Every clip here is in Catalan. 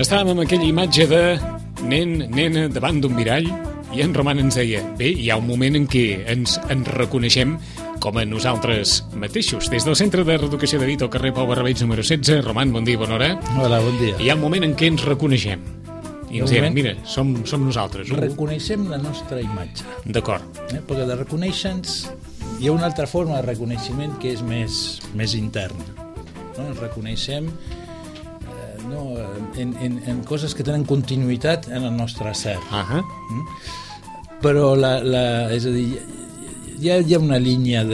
Estàvem amb aquella imatge de nen, nena, davant d'un mirall, i en Roman ens deia, bé, hi ha un moment en què ens reconeixem com a nosaltres mateixos. Des del Centre de Reeducació de Vito, al carrer Pau Barrabeig, número 16. Roman, bon dia, bona hora. Hola, bon dia. Hi ha un moment en què ens reconeixem. I ens diem, mira, som nosaltres. Reconeixem la nostra imatge. D'acord. Perquè de reconèixer-nos hi ha una altra forma de reconeixement que és més intern. No? Ens reconeixem en coses que tenen continuïtat en el nostre ser. Però és a dir, hi ha una línia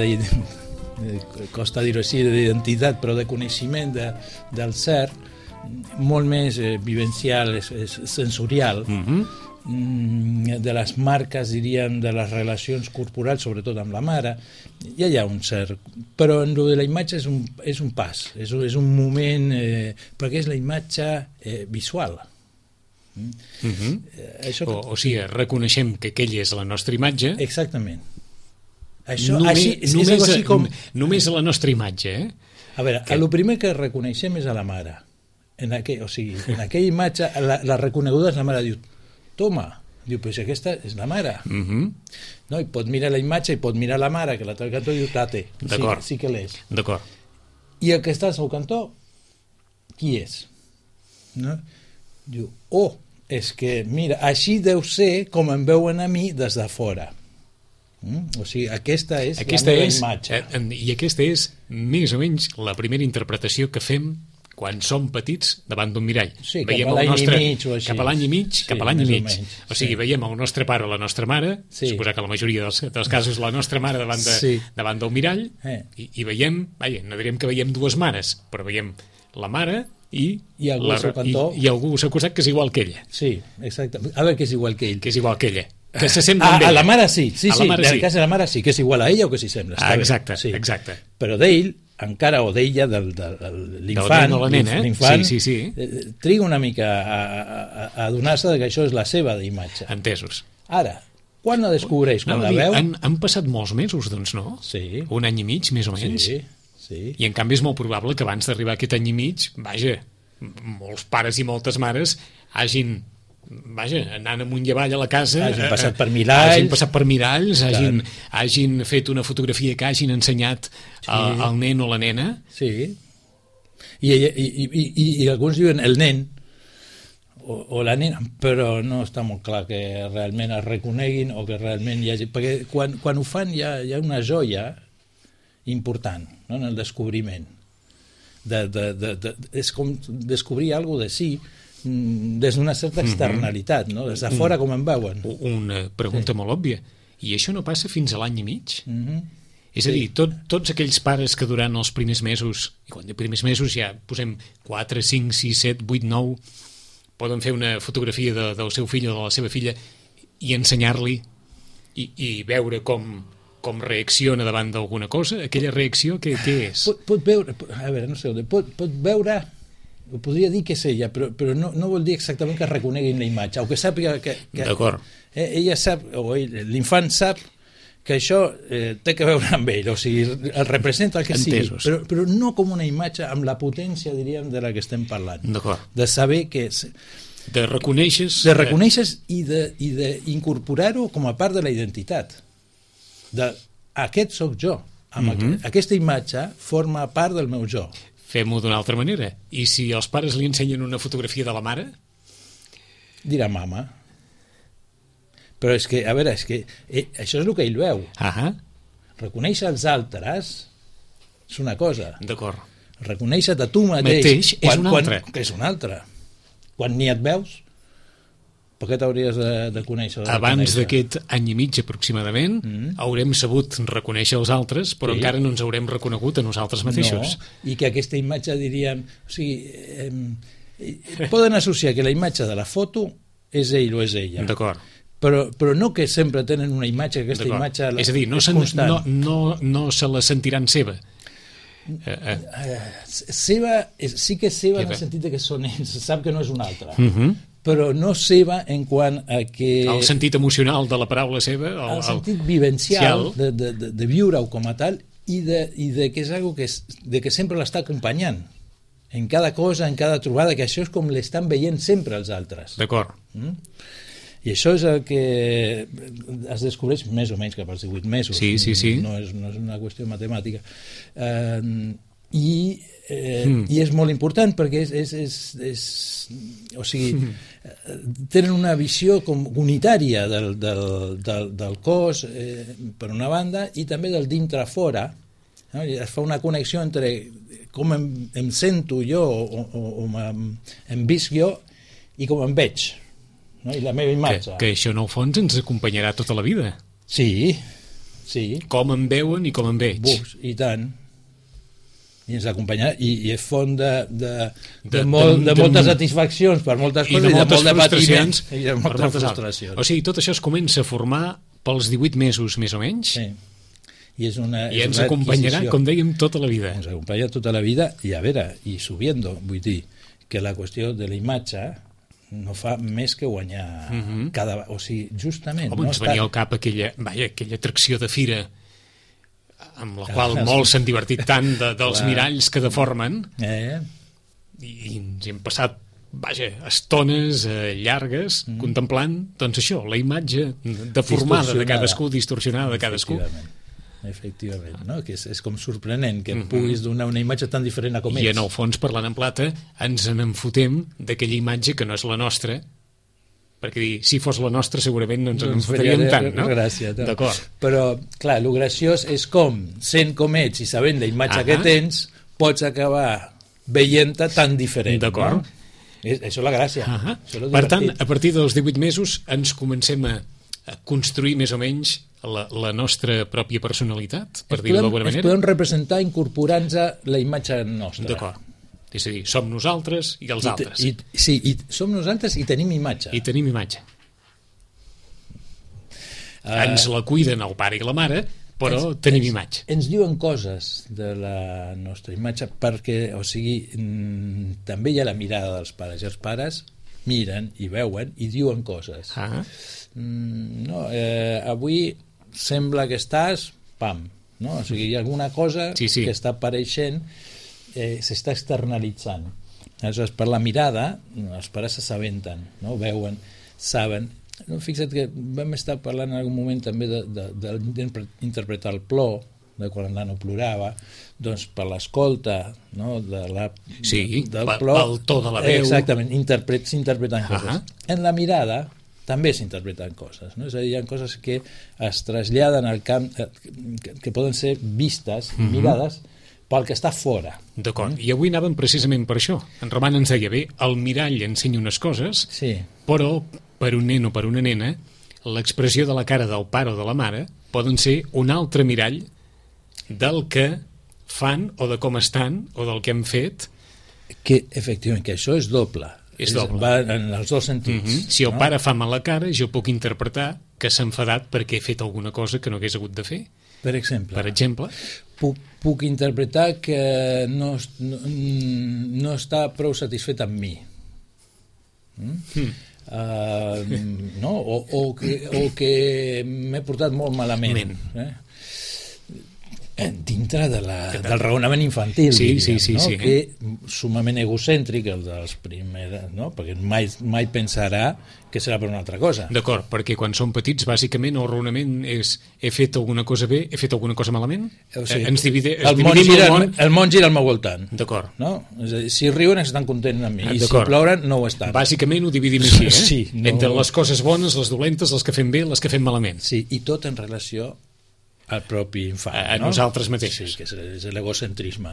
costa dir-ho així, d'identitat, però de coneixement del ser molt més vivencial, sensorial, de les marques, diríem, de les relacions corporals, sobretot amb la mare. Ja hi ha un cert... Però en lo de la imatge és un pas, és un moment, perquè és la imatge visual. O sigui, reconeixem que aquella és la nostra imatge. Exactament. Només la nostra imatge, A veure, el primer que reconeixem és a la mare. En aquella imatge, la reconeguda és la mare. Diu, toma, diu, però si aquesta és la mare. No, i pot mirar la imatge i pot mirar la mare, que l'altre cantó diu, tate, sí que l'és. D'acord. I el que està al seu cantó, qui és? No? Diu, és que, mira, així deu ser com em veuen a mi des de fora. O sigui, aquesta és la meva imatge. I aquesta és, més o menys, la primera interpretació que fem quan som petits davant d'un mirall. Sí, cap a l'any i mig o així. Cap a l'any i mig. O sigui, veiem el nostre pare o la nostra mare, suposar que la majoria dels casos la nostra mare davant del mirall, i veiem, no direm que veiem dues mares, però veiem la mare i algú al seu costat que és igual que ella. Sí, exacte. A veure, que és igual que ell. Que és igual que ella. Que se sembla amb ella. A la mare sí. En el cas de la mare sí, que és igual a ella o que s'hi sembla. Exacte. Però d'ell, encara, o d'ella, de l'infant, triga una mica a adonar-se que això és la seva imatge. Entesos. Ara, quan la descobreix? Quan la veu? Han passat molts mesos, doncs, no? Sí. Un any i mig, més o menys. Sí. I en canvi és molt probable que abans d'arribar a aquest any i mig, molts pares i moltes mares hagin anant amunt i avall a la casa, hagin passat per miralls, hagin fet una fotografia que hagin ensenyat al nen o la nena. Sí. I alguns diuen el nen o la nena, però no està molt clar que realment es reconeguin o que realment hi hagi... Perquè quan ho fan hi ha una joia important, no? En el descobriment. És com descobrir alguna cosa de si des d'una certa externalitat, no? Des de fora com en veuen. Una pregunta molt òbvia. I això no passa fins a l'any i mig? És a dir, tots aquells pares que durant els primers mesos, i quan de primers mesos ja posem 4, 5, 6, 7, 8, 9, poden fer una fotografia del seu fill o de la seva filla i ensenyar-li i veure com reacciona davant d'alguna cosa, aquella reacció, què és? Pot veure, a veure, no sé, pot veure, podria dir que és ella, però no vol dir exactament que reconeguin la imatge, o que sàpiga que d'acord. Ella sap, o l'infant sap que això té que veure amb ell, o sigui, el representa el que sigui, però no com una imatge amb la potència, diríem, de la que estem parlant. D'acord. De saber que... De reconèixer... De reconèixer i d'incorporar-ho com a part de la identitat. Aquest sóc jo. Aquesta imatge forma part del meu jo. Fem-ho d'una altra manera. I si els pares li ensenyen una fotografia de la mare? Dirà mama. Però és que, a veure, això és el que ell veu. Reconèixer els altres és una cosa. D'acord. Reconèixer-te a tu mateix és una altra. És una altra. Quan ni et veus, per què t'hauries de conèixer? Abans d'aquest any i mig aproximadament haurem sabut reconèixer els altres, però encara no ens haurem reconegut a nosaltres mateixos. No, i que aquesta imatge, diríem... O sigui, poden associar que la imatge de la foto és ell o és ella. D'acord. Però no que sempre tenen una imatge, que aquesta imatge és a dir, no se la sentiran seva. Seva, sí que és seva en el sentit que són ells, sap que no és una altra. Però no seva en quant a que... El sentit emocional de la paraula seva? El sentit vivencial de viure-ho com a tal i de que és algo de que sempre l'està acompanyant. en cada cosa, en cada trobada, que això és com l'estan veient sempre els altres. D'acord. I això és el que es descobreix més o menys cap als 18 mesos. Sí. No és una qüestió matemàtica. I és molt important perquè o sigui, tenen una visió com unitària del cos per una banda i també del dintre fora, no? I es fa una connexió entre com em sento jo o em visc jo i com em veig, no? I la meva imatge. Que això en el fons ens acompanyarà tota la vida. Sí. Com em veuen i com em veig. I tant. I ens acompanyarà i és font de moltes satisfaccions per moltes coses i de molt de patiment i de moltes frustracions. O sigui, tot això es comença a formar pels 18 mesos més o menys. Sí. I ens acompanyarà, com dèiem, tota la vida. Ens acompanya tota la vida i a veure, i subiendo, vull dir que la qüestió de la imatge no fa més que guanyar o sigui, justament. Home, ens venia al cap aquella atracció de fira amb la qual molts s'han divertit tant dels miralls que deformen i ens hem passat estones llargues contemplant, doncs això, la imatge deformada de cadascú, distorsionada de cadascú. Efectivament, no? Que és com sorprenent que puguis donar una imatge tan diferent a com ets. I en el fons, parlant en plata, ens n'enfotem d'aquella imatge que no és la nostra, perquè si fos la nostra segurament no ens en fotríem tant, no? Gràcia, d'acord. Però, clar, el graciós és com, sent com ets i sabent la imatge que tens, pots acabar veient-te tan diferent. D'acord. No? Això és la gràcia. Per tant, a partir dels 18 mesos ens comencem a construir més o menys la nostra pròpia personalitat, per dir-ho d'alguna manera. Ens podem representar incorporant-nos la imatge nostra. D'acord. És a dir, som nosaltres i els altres. Sí, som nosaltres i tenim imatge. I tenim imatge. Ens la cuiden el pare i la mare, però tenim imatge. Ens diuen coses de la nostra imatge perquè, o sigui, també hi ha la mirada dels pares, i els pares miren i veuen i diuen coses. Avui sembla que estàs, pam, no? O sigui, hi ha alguna cosa que està apareixent, s'està externalitzant. Aleshores, per la mirada, els pares s'assabenten, no? Veuen, saben. Fixa't que vam estar parlant en algun moment també d'interpretar el plor, de quan el nano plorava, doncs per l'escolta, no? del plor, pel to de la veu. Exactament, s'interpreten coses. En la mirada també s'interpreten coses, no? És a dir, hi ha coses que es traslladen al camp, que poden ser vistes, mirades, pel que està fora. D'acord, i avui anàvem precisament per això. En Roman ens deia, el mirall ensenya unes coses, però per un nen o per una nena, l'expressió de la cara del pare o de la mare poden ser un altre mirall del que fan o de com estan o del que han fet. Que, efectivament, que això és doble. És doble. Va en els dos sentits. Si el pare fa mala cara, jo puc interpretar que s'ha enfadat perquè he fet alguna cosa que no hagués hagut de fer. Per exemple. Puc interpretar que no està prou satisfet amb mi. No? O que m'he portat molt malament. Dintre del raonament infantil, que sumament egocèntric, el dels primers, no? Perquè mai pensarà que serà per una altra cosa. D'acord, perquè quan som petits, bàsicament, el raonament és he fet alguna cosa bé, he fet alguna cosa malament? O sigui, el món gira al meu voltant. D'acord. No? És a dir, si riuen estan contents amb mi, i si ploren no ho estan. Bàsicament ho dividim així, entre les coses bones, les dolentes, les que fem bé, les que fem malament. Sí, i tot en relació al propi infant. A nosaltres mateixos. Sí, que és l'egocentrisme.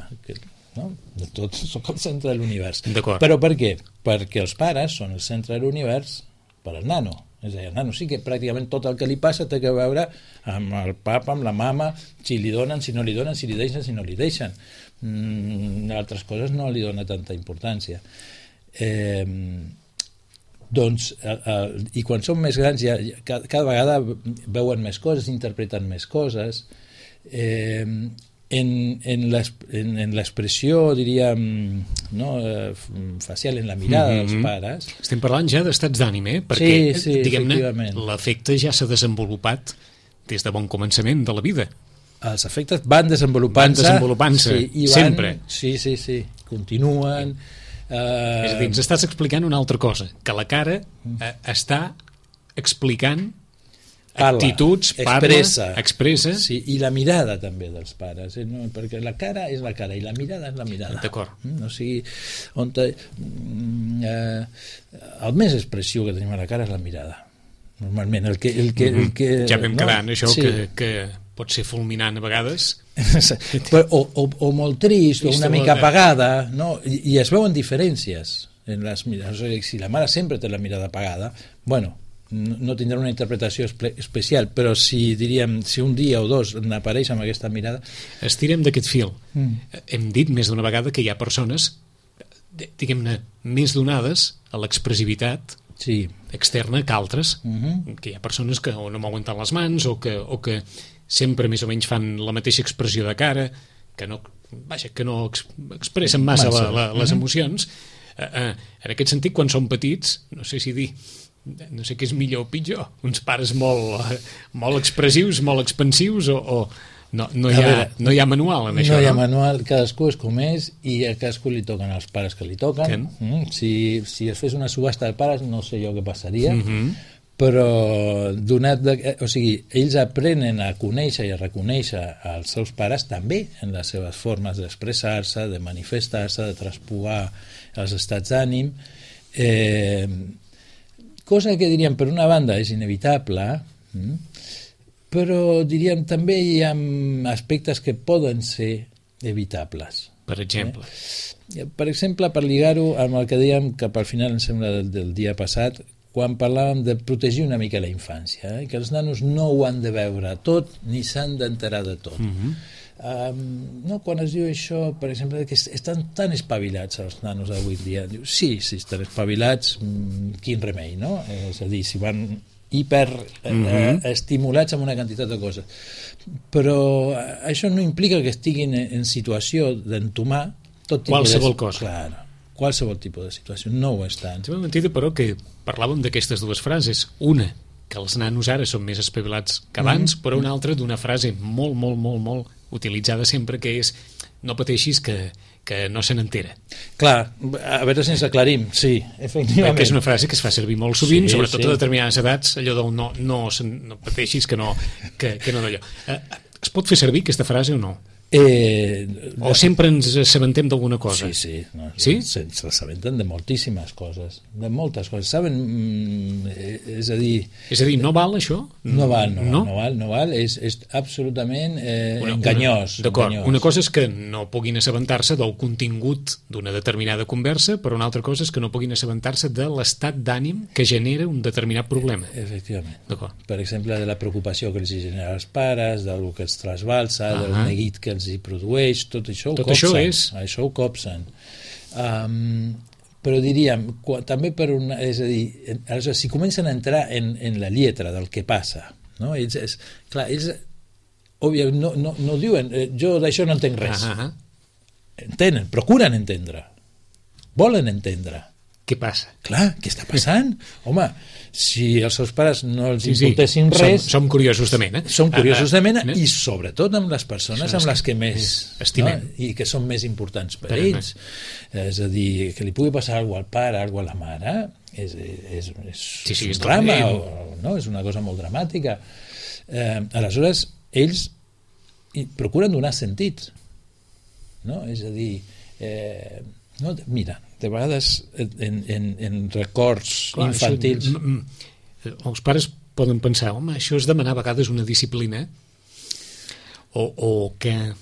No? Tots som el centre de l'univers. D'acord. Però per què? Perquè els pares són el centre de l'univers per al nano. És a dir, el nano sí que pràcticament tot el que li passa té que veure amb el papa, amb la mama, si li donen, si no li donen, si li deixen, si no li deixen. Altres coses no li dona tanta importància. Doncs, i quan són més grans cada vegada veuen més coses, interpreten més coses, en l'expressió, diríem, facial, en la mirada dels pares. Estem parlant ja d'estats d'ànim, perquè diguem-ne, l'afecte ja s'ha desenvolupat des de bon començament de la vida. Els efectes van desenvolupant-se sempre. Sí. continuen. És a dir, ens estàs explicant una altra cosa, que la cara està explicant actituds, expressa. Sí, i la mirada també dels pares, no? Perquè la cara és la cara i la mirada és la mirada. D'acord. O sigui, el més expressiu que tenim a la cara és la mirada. Normalment, el que ja vam quedar en això, sí. que pot ser fulminant a vegades. o molt trist, o una mica apagada, no? I es veuen diferències en les mirades. O sigui, si la mare sempre té la mirada apagada, bueno, no tindrà una interpretació especial, però si un dia o dos n'apareix amb aquesta mirada... Estirem d'aquest fil. Hem dit més d'una vegada que hi ha persones, diguem-ne, més donades a l'expressivitat externa que altres, que hi ha persones que o no mouen tant les mans o que sempre més o menys fan la mateixa expressió de cara, que no expressen massa les emocions. En aquest sentit, quan són petits, no sé què és millor o pitjor, uns pares molt expressius, molt expansius, o no hi ha manual en això. No hi ha manual, cadascú és com és, i a cadascú li toquen els pares que li toquen. Si es fes una subhasta de pares, no sé jo què passaria, però ells aprenen a conèixer i a reconèixer els seus pares també en les seves formes d'expressar-se, de manifestar-se, de traspuar els estats d'ànim, cosa que diríem per una banda és inevitable, però diríem també hi ha aspectes que poden ser evitables. Per exemple? Per exemple, per lligar-ho amb el que dèiem cap al final, em sembla, del dia passat, quan parlàvem de protegir una mica la infància, que els nanos no ho han de veure tot ni s'han d'enterar de tot. No, quan es diu això, per exemple, que estan tan espavilats els nanos d'avui dia, diu, sí, estan espavilats, quin remei, no? És a dir, si van estimulats amb una quantitat de coses, però això no implica que estiguin en situació d'entomar tot tipus qualsevol cosa. Clar, qualsevol tipus de situació, no ho estan. Sembla mentida, però, que parlàvem d'aquestes dues frases, una que els nanos ara són més espavilats que abans, però una altra d'una frase molt, molt, molt, molt utilitzada sempre, que és no pateixis que no se n'entera. Clar, a veure si ens aclarim, sí, efectivament. Que és una frase que es fa servir molt sovint, sobretot a determinades edats, allò del no pateixis que no d'allò. Es pot fer servir aquesta frase o no? O sempre ens assabentem d'alguna cosa? Sí. S'assabenten de moltíssimes coses, de moltes coses. Saben, és a dir, no val això? No val, és absolutament enganyós. D'acord, una cosa és que no puguin assabentar-se del contingut d'una determinada conversa, però una altra cosa és que no puguin assabentar-se de l'estat d'ànim que genera un determinat problema. Efectivament. Per exemple, de la preocupació que els genera als pares, del que els trasbalsa, del neguit que els hi produeix, tot això ho copsen. Però diríem, també és a dir, si comencen a entrar en la lletra del que passa, no? Ells no diuen, jo d'això no entenc res. Entenen, procuren entendre, volen entendre. Què passa? Clar, què està passant? Home, si els seus pares no els importessin res... Som curiosos de mena. Som curiosos de mena i sobretot amb les persones amb les que més estimem, i que són més importants per ells. És a dir, que li pugui passar alguna cosa al pare, alguna cosa a la mare, és un drama, és una cosa molt dramàtica. Aleshores, ells procuren donar sentit. És a dir... mira, de vegades en records infantils els pares poden pensar, home, això és demanar a vegades una disciplina o que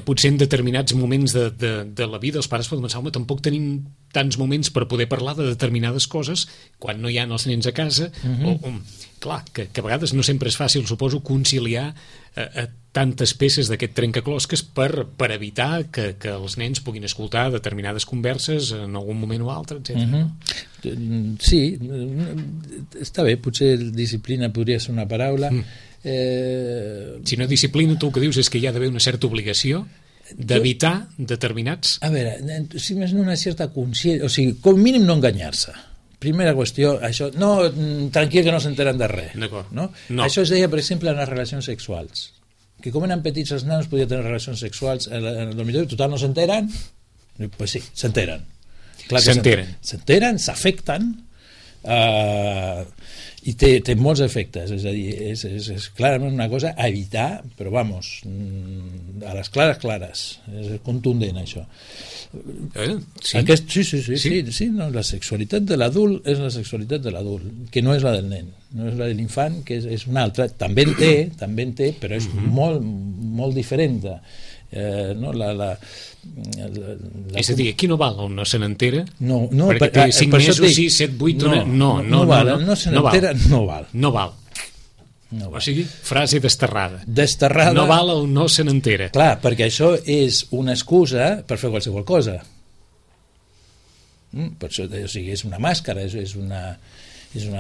potser en determinats moments de la vida els pares poden pensar, home, tampoc tenim tants moments per poder parlar de determinades coses quan no hi ha els nens a casa. Clar, que a vegades no sempre és fàcil, suposo, conciliar tantes peces d'aquest trencaclosques per evitar que els nens puguin escoltar determinades converses en algun moment o altre, etc. Sí, està bé, potser disciplina podria ser una paraula. Si no disciplina, tu el que dius és que hi ha d'haver una certa obligació d'evitar determinats... A veure, si més no una certa consciència, o sigui, com mínim no enganyar-se. Primera qüestió, això, no, tranquil que no s'enteren de res. No? Això es deia, per exemple, en les relacions sexuals. Que com eren petits els nanos podien tenir relacions sexuals, potser total no s'enteren, Pues sí, s'enteren. S'enteren, s'afecten, i té molts efectes, és a dir, és clarament una cosa a evitar, però vamos, a les clares, és contundent això. Sí, no, la sexualitat de l'adult és la sexualitat de l'adult, que no és la del nen, no és la de l'infant, que és una altra, també en té, però és molt diferent. No, és a dir, aquí no val on no se n'entera, no, perquè té 5 mesos, 6, 7, 8 no val, no val. O sigui, frase desterrada, no val on no se n'entera. Clar, perquè això és una excusa per fer qualsevol cosa. Per això, o sigui, és una màscara, és una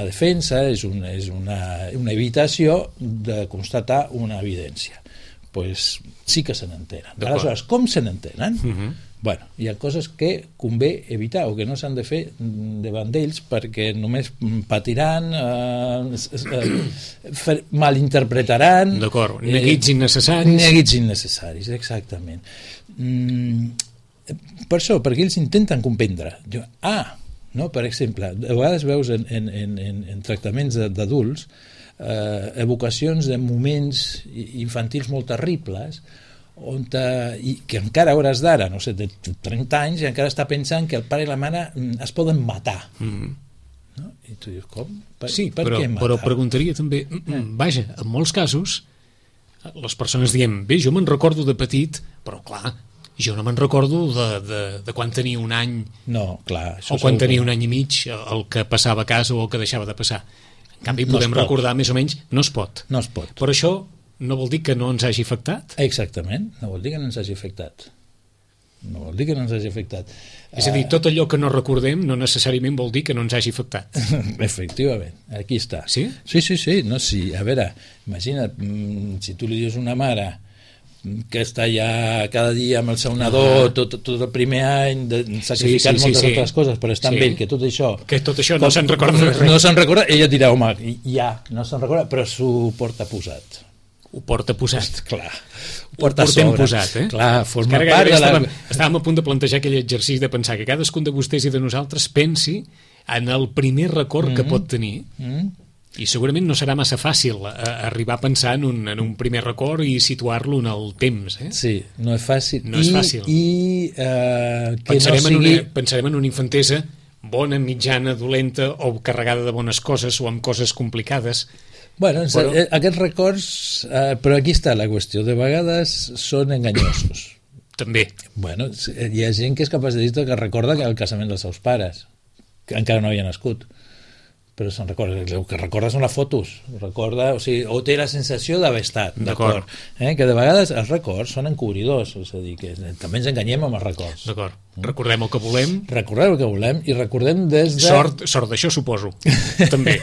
defensa, és una evitació de constatar una evidència. Pues sí que se n'entenen. Aleshores, com se n'entenen? Bueno, hi ha coses que convé evitar o que no s'han de fer davant d'ells perquè només patiran, malinterpretaran. D'acord, neguits innecessaris. Neguits innecessaris, exactament. Per això, perquè ells intenten comprendre. No? Per exemple, a vegades veus en tractaments d'adults evocacions de moments infantils molt terribles i que encara a hores d'ara, no sé, de 30 anys, i encara està pensant que el pare i la mare es poden matar. No? I tu dius, com? Per què matar? Però preguntaria també, vaja, en molts casos les persones diem, bé, jo me'n recordo de petit, però clar, jo no me'n recordo de quan tenia un any, o quan tenia un any i mig, el que passava a casa o el que deixava de passar. En canvi, podem recordar més o menys, no es pot. Però això no vol dir que no ens hagi afectat? Exactament, no vol dir que no ens hagi afectat. És a dir, tot allò que no recordem no necessàriament vol dir que no ens hagi afectat. Efectivament, aquí està. Sí? Sí. No, sí. A veure, imagina't, si tu li dius a una mare que està ja cada dia amb el seu nadó tot el primer any sacrificant moltes altres coses, però és tan vell que tot això no se'n recorda res. No se'n recorda, ella dirà, home, no se'n recorda, però s'ho porta posat. Ho porta posat. Clar, ho portem posat, Clar, forma part de la... Estàvem a punt de plantejar aquell exercici de pensar que cadascun de vostès i de nosaltres pensi en el primer record que pot tenir. I segurament no serà massa fàcil arribar a pensar en un primer record i situar-lo en el temps. Sí, no és fàcil. No és fàcil. Pensarem en una infantesa bona, mitjana, dolenta o carregada de bones coses o amb coses complicades. Bueno, aquests records, però aquí està la qüestió, de vegades són enganyosos. També. Bueno, hi ha gent que és capaç de dir que recorda el casament dels seus pares, que encara no havia nascut. Però se'n recorda, el que recorda són les fotos, o té la sensació d'haver estat, d'acord? Que de vegades els records són encobridors, és a dir, que també ens enganyem amb els records. D'acord, recordem el que volem. Recordem el que volem i recordem des de... Sort d'això, suposo, també.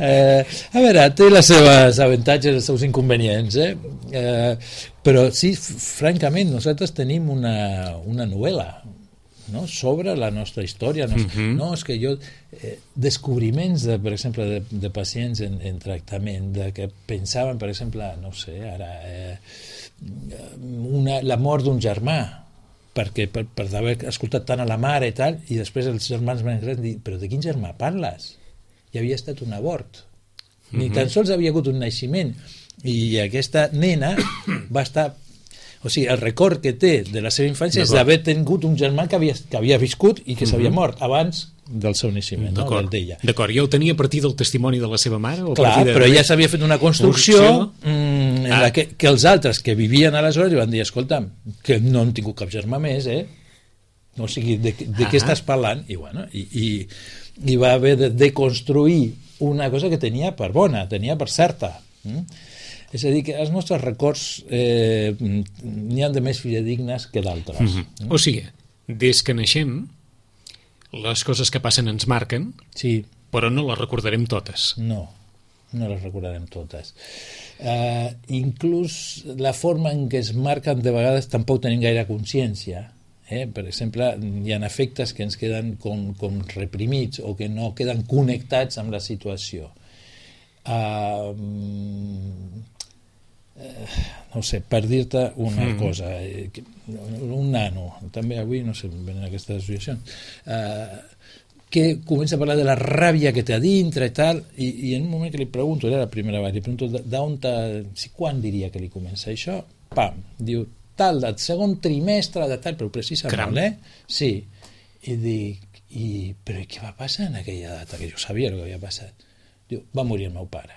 A veure, té les seves avantatges, els seus inconvenients, però sí, francament, nosaltres tenim una novel·la, no? Sobre la nostra història. No, és que jo descobriments per exemple de pacients en tractament que pensaven, per exemple, no sé, ara la mort d'un germà perquè per haver escoltat tant a la mare i tal, i després els germans van dir, però de quin germà parles? Hi havia estat un abort, ni tan sols havia hagut un naixement, i aquesta nena va estar... O sigui, el record que té de la seva infància és d'haver tingut un germà que havia viscut i que s'havia mort abans del seu naixement, no? Del d'ella. D'acord, ja ho tenia a partir del testimoni de la seva mare? Clar, però ja s'havia fet una construcció en la que els altres que vivien aleshores li van dir, escolta'm, que no han tingut cap germà més, o sigui, de què estàs parlant? I bueno, i va haver de deconstruir una cosa que tenia per bona, tenia per certa. És a dir, que els nostres records n'hi ha de més fidedignes que d'altres. O sigui, des que naixem, les coses que passen ens marquen, però no les recordarem totes. No les recordarem totes. Inclús la forma en què es marquen de vegades tampoc tenim gaire consciència. Per exemple, hi ha efectes que ens queden com reprimits o que no queden connectats amb la situació. no sé, per dir-te una cosa, un nano, també avui, no sé, venen aquestes associacions, que comença a parlar de la ràbia que té a dintre i tal, i en un moment que li pregunto, era la primera vegada, li pregunto quan diria que li comença això, pam, diu, tal, del segon trimestre de tal, però precisa molt, Sí, i dic, però què va passar en aquella data? Que jo sabia el que havia passat. Diu, va morir el meu pare.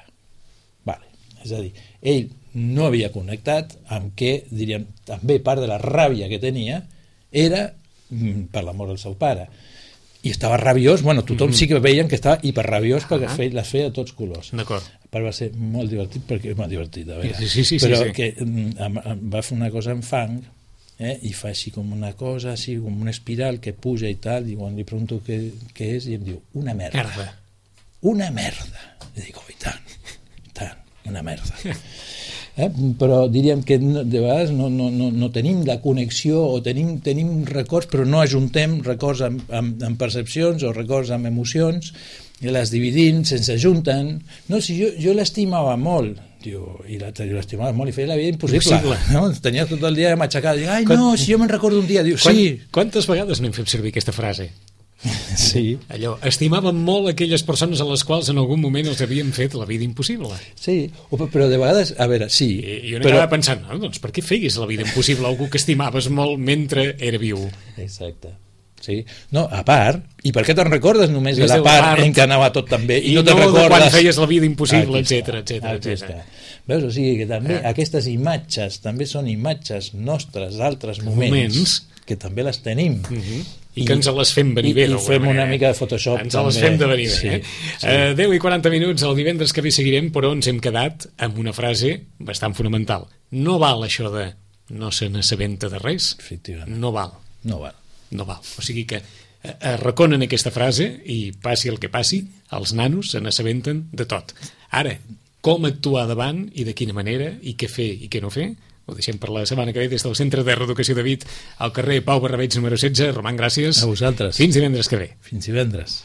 Vale, és a dir, ell no havia connectat amb què, diríem, també part de la ràbia que tenia era per la mort del seu pare. I estava rabiós, bueno, tothom sí que veien que estava hiperrabiós perquè les feia de tots colors. D'acord. A part va ser molt divertit, perquè molt divertit, a veure. Sí, però que va fer una cosa en fang, i fa així com una cosa, així com una espiral que puja i tal, i quan li pregunto què és, i em diu, una merda. Una merda. I dic, i tant, una merda. Però diríem que de vegades no tenim la connexió o tenim records però no ajuntem records amb percepcions o records amb emocions i les dividim, sense ajunten. No, si jo l'estimava molt, i l'estimava molt i feia la vida impossible. No? Tenia tot el dia matxacat, ai no, si jo me'n recordo un dia, diu, sí. Quantes vegades n'hem fet servir aquesta frase? Sí. Allò, estimàvem molt aquelles persones a les quals en algun moment els havien fet la vida impossible. Sí, però de vegades, a veure, sí. I jo n'acabava pensant, doncs per què feguis la vida impossible a algú que estimaves molt mentre era viu? Exacte. Sí. No, a part, i per què te'n recordes només de la part en què anava tot tan bé? I no de quan feies la vida impossible, etcètera. Veus? O sigui que també aquestes imatges també són imatges nostres d'altres moments que també les tenim. I que ens les fem venir bé. I fem una mica de Photoshop. Ens les fem de venir bé. 10 i 40 minuts, el divendres que ve seguirem, però ens hem quedat amb una frase bastant fonamental. No val això de no se n'assabenta de res. Efectivament. No val. No val. O sigui que reconen aquesta frase i passi el que passi, els nanos se n'assabenten de tot. Ara, com actuar davant i de quina manera i què fer i què no fer, ho deixem per la setmana que ve des del Centre de Reeducació de Vic al carrer Pau Barrabeig número 16. Roman, gràcies. A vosaltres. Fins divendres que ve. Fins divendres.